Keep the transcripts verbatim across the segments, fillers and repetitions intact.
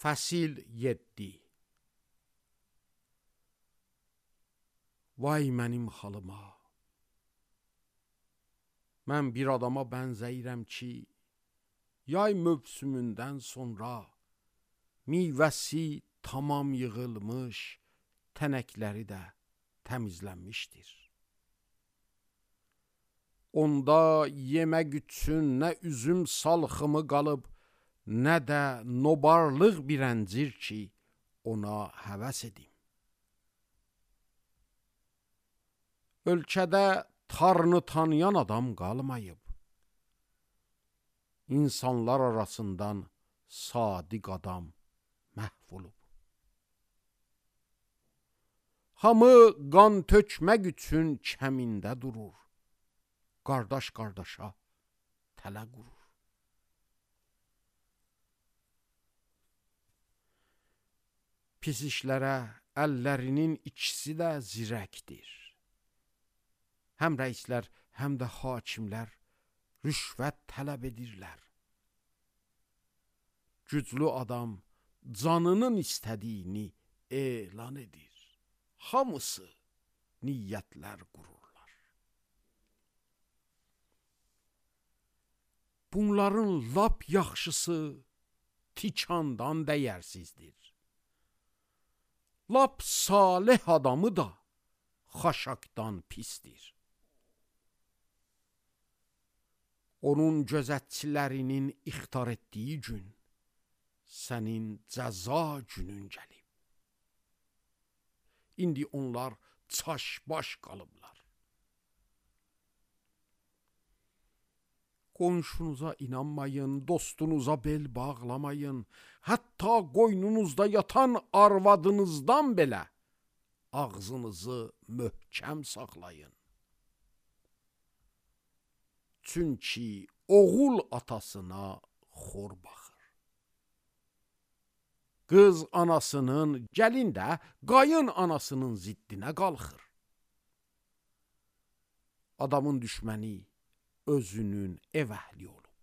Fəsil yeddi. Vay mənim halıma. Mən bir adama bənzəyirəm ki, yay mövsümündən sonra meyvəsi tamam yığılmış, tənəkləri də təmizlənmişdir. Onda yemək üçün nə üzüm salxımı qalıb, nə də nobarlıq bir əncir ki, ona həvəs edim. Ölkədə tarını tanıyan adam qalmayıb. İnsanlar arasından sadiq adam məhv olub. Hamı qan tökmək üçün kəmində durur. Qardaş qardaşa tələ qurur. Pis işlərə əllərinin ikisi də zirəkdir. Həm rəislər, həm də hakimlər rüşvət tələb edirlər. Güclü adam canının istədiyini elan edir. Hamısı niyyətlər qururlar. Bunların lap yaxşısı tikandan dəyərsizdir. Lap salih adamı da xaşaqdan pisdir. Onun gözətçilərinin ixtar etdiyi gün sənin cəza günün gəlib. İndi onlar çaş-baş qalıblar. Qonşunuza inanmayın, dostunuza bel bağlamayın. Hətta qoynunuzda yatan arvadınızdan belə ağzınızı möhkəm saxlayın. Çünki oğul atasına xor baxır. Qız anasının, gəlin də qayın anasının ziddinə qalxır. Adamın düşməni özünün ev əhli olub.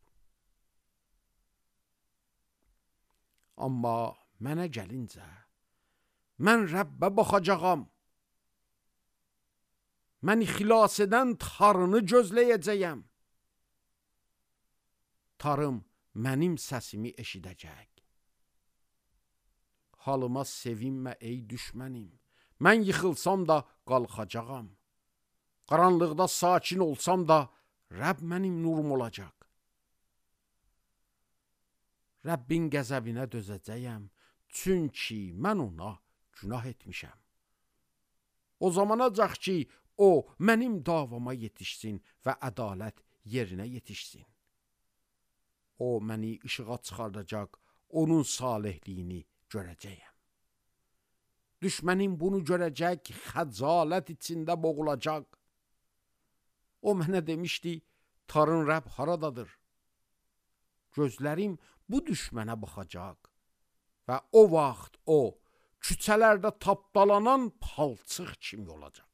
Amma mənə gəlincə, mən Rəbbə baxacağam. Məni xilas edən tarını gözləyəcəyəm. Tarım mənim səsimi eşidəcək. Halıma sevinmə ey düşmənim. Mən yıxılsam da qalxacağam. Qaranlıqda sakin olsam da Rəbb mənim nurum olacaq. Rəbbin qəzəbinə dözəcəyəm, çünki mən ona günah etmişəm. O zamanacaq ki, o mənim davama yetişsin və ədalət yerinə yetişsin. O məni işığa çıxardacaq, onun salihliyini görəcəyəm. Düşmənim bunu görəcək, xəcalət içində boğulacaq. O mənə demişdi, tarın Rəbb haradadır? Gözlərim bu düşmənə baxacaq və o vaxt o, küçələrdə tapdalanan palçıq kimi olacaq.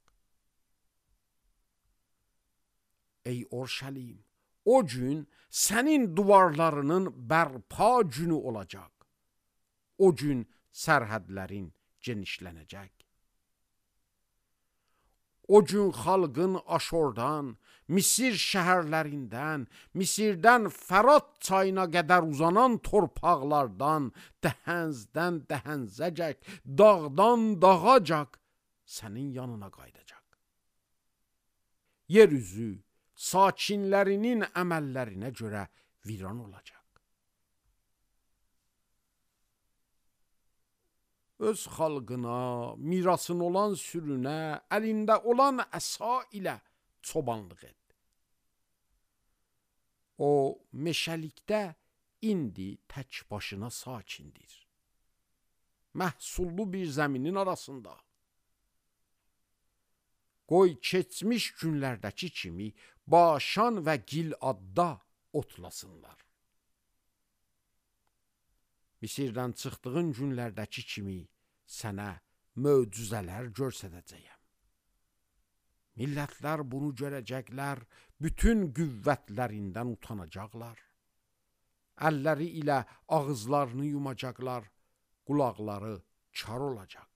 Ey Orşəlim, o gün sənin duvarlarının bərpa günü olacaq. O gün sərhədlərin genişlənəcək. O gün xalqın Aşordan, Misir şəhərlərindən, Misirdən Fərat çayına qədər uzanan torpaqlardan, dəhəzdən dəhəzəcək, dağdan dağacaq sənin yanına qaydacaq. Yeryüzü sakinlərinin əməllərinə görə viran olacaq. Öz xalqına, mirasın olan sürünə, əlində olan əsa ilə çobanlıq et. O, meşəlikdə indi tək başına sakindir. Məhsullu bir zəminin arasında. Qoy keçmiş günlərdəki kimi Başan və Giladda otlasınlar. Misirdən çıxdığın günlərdəki kimi sənə möcüzələr göstərəcəyəm. Millətlər bunu görəcəklər, bütün qüvvətlərindən utanacaqlar. Əlləri ilə ağızlarını yumacaqlar, qulaqları kar olacaq.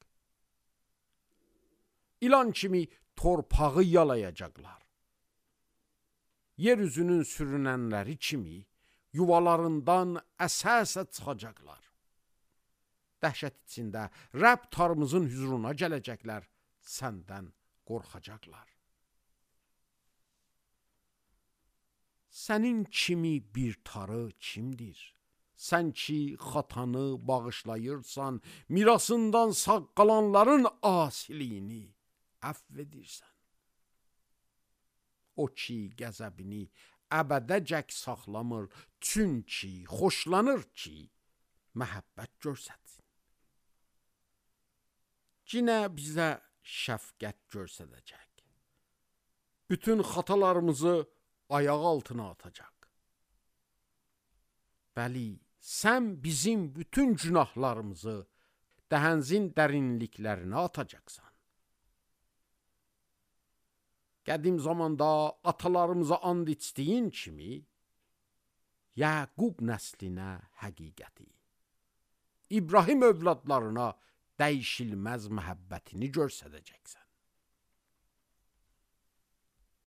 İlan kimi torpağı yalayacaqlar. Yeryüzünün sürünənləri kimi yuvalarından əsə-əsə çıxacaqlar. Dəhşət içində Rəbb tarımızın hüzuruna gələcəklər, səndən qorxacaqlar. Sənin kimi bir tarı kimdir? Sən ki xatanı bağışlayırsan, mirasından sağ qalanların asiliyini əfv edirsən. O ki qəzəbini əbədəcək saxlamır, çünki xoşlanır ki məhəbbət görsətsin. Cinə bizə şəfqət görsədəcək. Bütün xatalarımızı ayaq altına atacaq. Bəli, sən bizim bütün günahlarımızı dəhənzin dərinliklərinə atacaqsan. Qədim zamanda atalarımıza and içdiyin kimi, Yaqub nəslinə həqiqəti, İbrahim övladlarına dəyişilməz məhəbbətini görsədəcəksən.